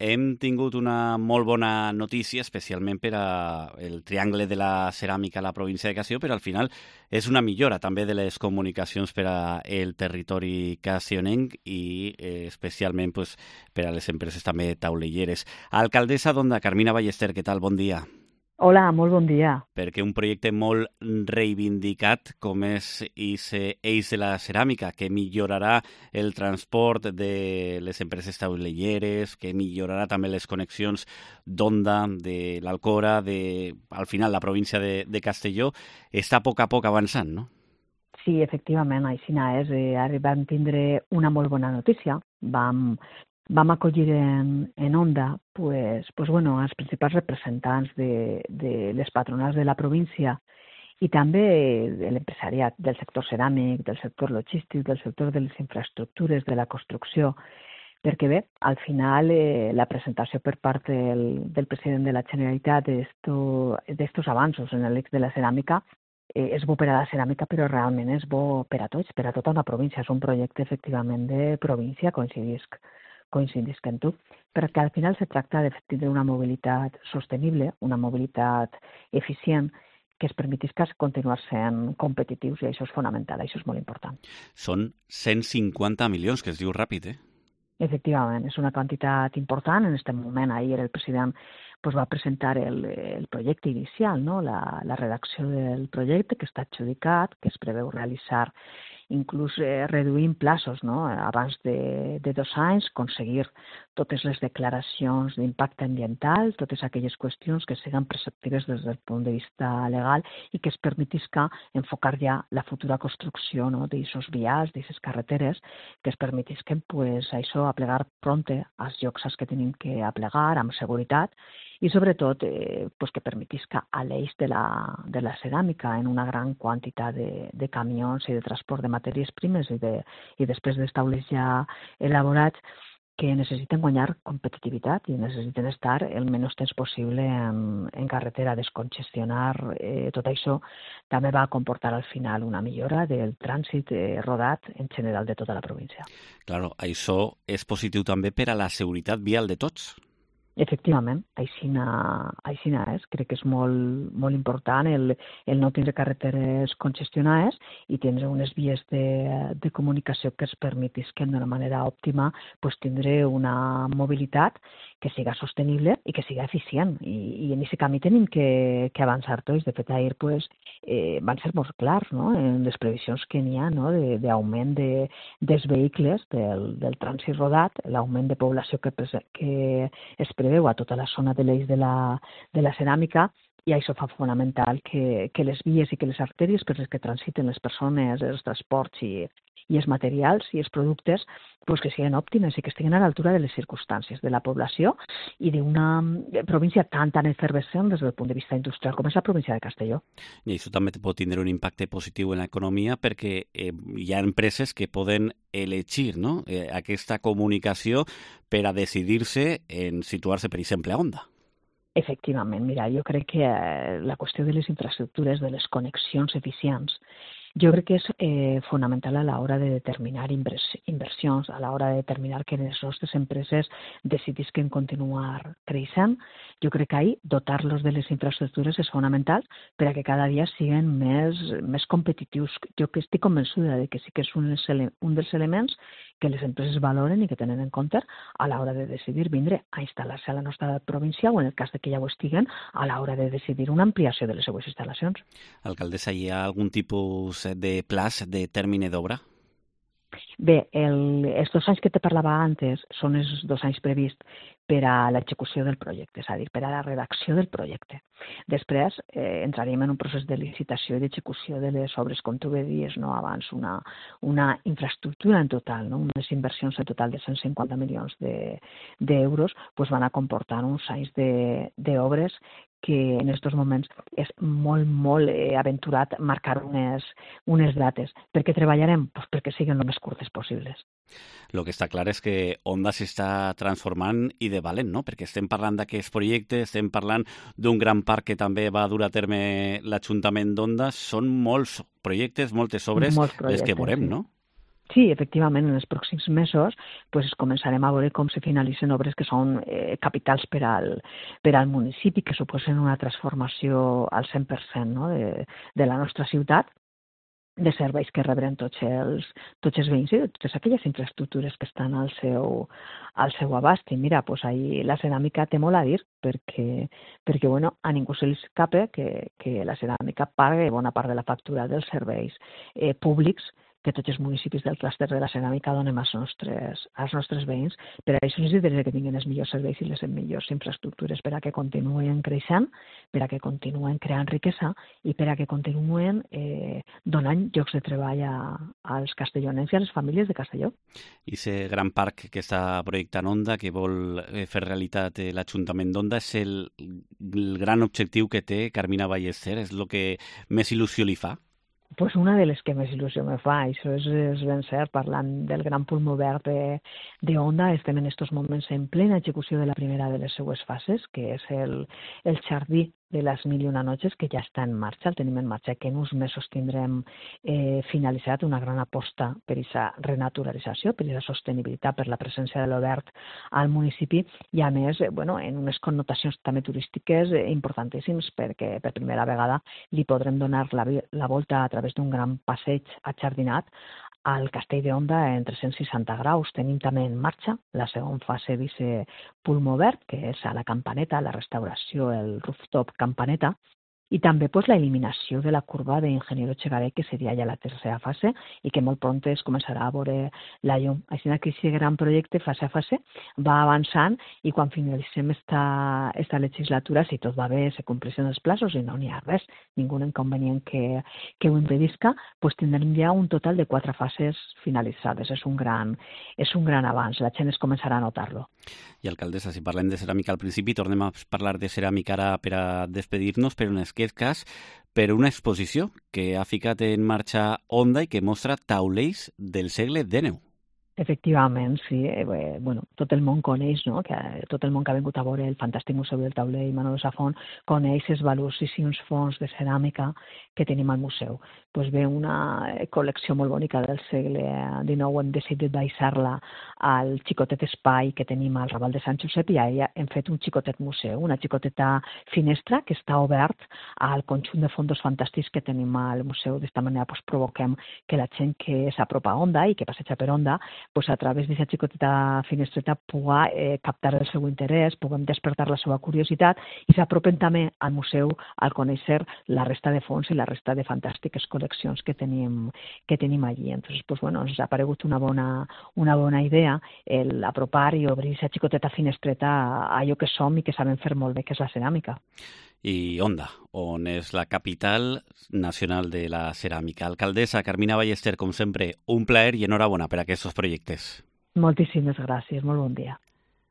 hem tingut una molt bona notícia, especialment per al triangle de la ceràmica a la província de Castelló, però al final és una millora també de les comunicacions per al territori castellonenc i especialment pues, per a les empreses també taulelleres. Alcaldessa d'Onda, Carmina Ballester, què tal? Bon dia. Hola, molt bon dia. Perquè un projecte molt reivindicat com és Eix de la Ceràmica, que millorarà el transport de les empreses taulelleres, que millorarà també les connexions d'Onda, de l'Alcora, al final la província de Castelló, està a poc avançant, no? Sí, efectivament, així és. Ara vam tindre una molt bona notícia. Vam acollir en Onda els principals representants de les patronals de la província i també de l'empresariat del sector ceràmic, del sector logístic, del sector de les infraestructures, de la construcció, perquè bé, al final la presentació per part del president de la Generalitat d'estos avanços en l'eix de la ceràmica és bo per a la ceràmica, però realment és bo per a tots, per a tota una província. És un projecte efectivament de província, coincidisc en tu, perquè al final se tracta de tindre una mobilitat sostenible, una mobilitat eficient, que es permetisca continuar sent competitius, i això és fonamental, això és molt important. Són 150 milions, que es diu ràpid, eh? Efectivament, és una quantitat important. En aquest moment, ahir el president va presentar el projecte inicial, no? la redacció del projecte que està adjudicat, que es preveu realitzar inclús reduint plaços, no? Abans de 2 anys, aconseguir totes les declaracions d'impacte ambiental, totes aquelles qüestions que siguin preceptives des del punt de vista legal i que es permetisca enfocar ja la futura construcció, no? D'aixos vials, d'aixes carreteres, que es permetisquen això aplegar pronte als llocs als que tenim que aplegar amb seguretat i sobretot que permetisca a l'eix de la ceràmica en una gran quantitat de camions i de transport de matèries primes i després dels taulers ja elaborats que necessiten guanyar competitivitat i necessiten estar el menys temps possible en carretera. Descongestionar tot això també va comportar al final una millora del trànsit rodat en general de tota la província. Claro, això és positiu també per a la seguretat vial de tots. Efectivament, així és. Crec que és molt important el no tindre carreteres congestionades i tindre unes vies de comunicació que es permetisquen d'una manera òptima tindre una mobilitat que siga sostenible i que siga eficient. I en aquest camí tenim que avançar tots. De fet, ahir van ser molt clars, no? En les previsions que n'hi ha, no? D'augment dels vehicles, del trànsit rodat, l'augment de població que es preveu a tota la zona de l'eix de la ceràmica, i això fa fonamental que les vies i que les artèries per les que transiten les persones, els transports i els materials i els productes que siguin òptimes i que estiguin a l'altura de les circumstàncies de la població i d'una província tan efervescent des del punt de vista industrial com és la província de Castelló. I això també pot tindre un impacte positiu en l'economia perquè hi ha empreses que poden elegir, no? Aquesta comunicació per a decidir-se en situar-se, per exemple, a Onda. Efectivament, mira, jo crec que la qüestió de les infraestructures, de les connexions eficients, jo crec que és fonamental a l'hora de determinar inversions, a l'hora de determinar que les nostres empreses decidisquen continuar creixent. Jo crec que ahir dotar-los de les infraestructures és fonamental per a que cada dia siguin més competitius. Jo que estic convençuda de que sí que és un dels elements que les empreses valoren i que tenen en compte a l'hora de decidir vindre a instal·lar-se a la nostra província o, en el cas de que ja ho estiguen, a l'hora de decidir una ampliació de les seues instal·lacions. Alcaldessa, hi ha algun tipus de plaç, de termini d'obra? Bé, els 2 anys que te parlava antes són els 2 anys prevists per a l'execució del projecte, és a dir, per a la redacció del projecte. Després entraríem en un procés de licitació i d'execució de les obres, com tu bé dius, no? Abans una infraestructura en total, no? Unes inversions en total de 150 milions d'euros van a comportar uns anys d'obres que en aquests moments és molt aventurat marcar unes dates. Per què treballarem? Perquè siguin el més curtes possibles. El que està clar és que Onda s'està transformant i de valent, no? Perquè estem parlant d'aquests projectes, estem parlant d'un gran parc que també va dur a terme l'Ajuntament d'Onda. Són molts projectes, moltes obres, les que veurem, no? Sí, efectivament, en els pròxims mesos pues, començarem a veure com se finalitzen obres que són capitals per al municipi, que suposen una transformació al 100%, no? de la nostra ciutat, de serveis que rebran tots els veïns i de totes aquelles infraestructures que estan al seu abast. I mira, pues ahí la ceràmica té molt a dir perquè bueno, a ningú se li escapa que la ceràmica paga bona part de la factura dels serveis públics que tots els municipis del clúster de la ceràmica donem als nostres veïns. Per això els interessa que tinguin els millors serveis i les millors infraestructures per a que continuen creixent, per a que continuen creant riquesa i per a que continuen donant llocs de treball als castellonencs i a les famílies de Castelló. I aquest gran parc que està projectant Onda, que vol fer realitat l'Ajuntament d'Onda, és el gran objectiu que té Carmina Ballester? És el que més il·lusió li fa? Pues una de les que més il·lusió me fa, això és ben cert, parlant del gran pulmó verd d'Onda, estem en aquests moments en plena execució de la primera de les seues fases, que és el jardí de les Mil i una Noches, que ja està en marxa, el tenim en marxa, que en uns mesos tindrem finalitzat una gran aposta per aquesta renaturalització, per aquesta sostenibilitat, per la presència de l'obert al municipi i, a més, bueno, en unes connotacions també turístiques importantíssimes, perquè per primera vegada li podrem donar la volta a través d'un gran passeig ajardinat al Castell d'Onda en 360 graus. Tenim també en marxa la segona fase d'aquest pulmó verd, que és a la Campaneta, la restauració, el rooftop Campaneta, i també pues, la eliminació de la curva d'Ingeniero Chegaré, que seria ja la tercera fase i que molt pront es començarà a veure la llum. Així que aquest gran projecte, fase a fase, va avançant i quan finalitzem esta legislatura, si tot va bé, se compleixen els plaços i no n'hi ha res, ningú inconvenient que ho impedisca, pues tindrem ja un total de 4 fases finalitzades. És un gran avanç, la gent es començarà a notar-lo. I alcaldessa, si parlem de ceràmica al principi, tornem a parlar de ceràmica ara per a despedir-nos, però en aquest cas per una exposició que ha ficat en marxa Onda i que mostra taulells del segle XIX. Efectivament, sí. Bueno, tot el món coneix, no? Que tot el món que ha vingut a veure el fantàstic Museu del Taulell i Manolo Safont coneix els valuosíssims fons de ceràmica que tenim al museu. Pues ve una col·lecció molt bonica del segle XIX, hem decidit baixar-la al xicotet espai que tenim al Raval de Sant Josep i allà hem fet un xicotet museu, una xicoteta finestra que està obert al conjunt de fondos fantàstics que tenim al museu. D'esta manera pues, provoquem que la gent que s'apropa a Onda i que passeja per Onda pues a través d'aquesta xicoteta finestreta pugui captar el seu interès, puguem despertar la seva curiositat i s'apropen també al museu al conèixer la resta de fons i la resta de fantàstiques col·leccions que tenim allí. Entonces, pues bueno, ens ha paregut una bona idea el apropar i obrir aquesta xicoteta finestreta a allò que som i que sabem fer molt bé, que és la ceràmica. I Onda, on és la capital nacional de la ceràmica. Alcaldessa Carmina Ballester, com sempre, un plaer i enhorabona per aquests projectes. Moltíssimes gràcies, molt bon dia.